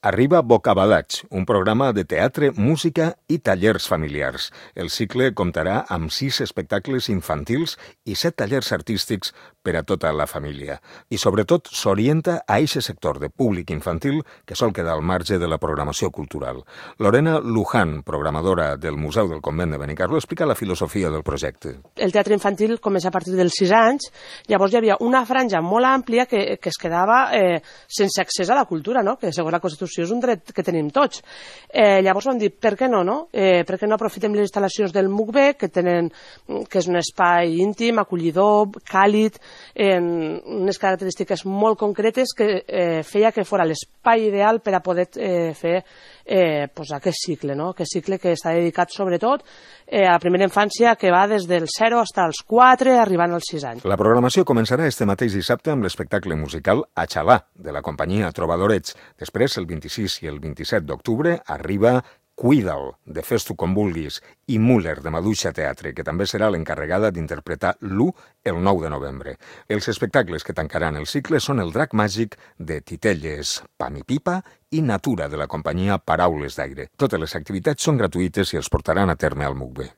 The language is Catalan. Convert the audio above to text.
Arriba Bocabadats, un programa de teatre, música i tallers familiars. El cicle comptarà amb 6 espectacles infantils i 7 tallers artístics per a tota la família. I sobretot s'orienta a eixe sector de públic infantil que sol quedar al marge de la programació cultural. Lorena Luján, programadora del Museu del Convent de Benicarló, explica la filosofia del projecte. El teatre infantil comença a partir dels 6 anys, llavors hi havia una franja molt àmplia que es quedava sense accés a la cultura, no? Que segons la Constitució és un dret que tenim tots. Llavors vam dir, per què no? Per què no aprofitem les instal·lacions del MUCB, que és un espai íntim, acollidor, càlid, unes característiques molt concretes que feia que fos l'espai ideal per a poder fer aquest cicle, no? Aquest cicle que està dedicat sobretot a la primera infància, que va des del 0 fins als 4, arribant als 6 anys. La programació començarà este mateix dissabte amb l'espectacle musical Achalà, de la companyia Trobadorets. Després, el 26 i el 27 d'octubre, arriba Cuida'l, de Fes-tu com vulguis, i Müller, de Maduixa Teatre, que també serà l'encarregada d'interpretar l'U el 9 de novembre. Els espectacles que tancaran el cicle són El drac màgic, de Titelles, Pam i Pipa, i Natura, de la companyia Paraules d'Aire. Totes les activitats són gratuïtes i els portaran a terme al MUCB.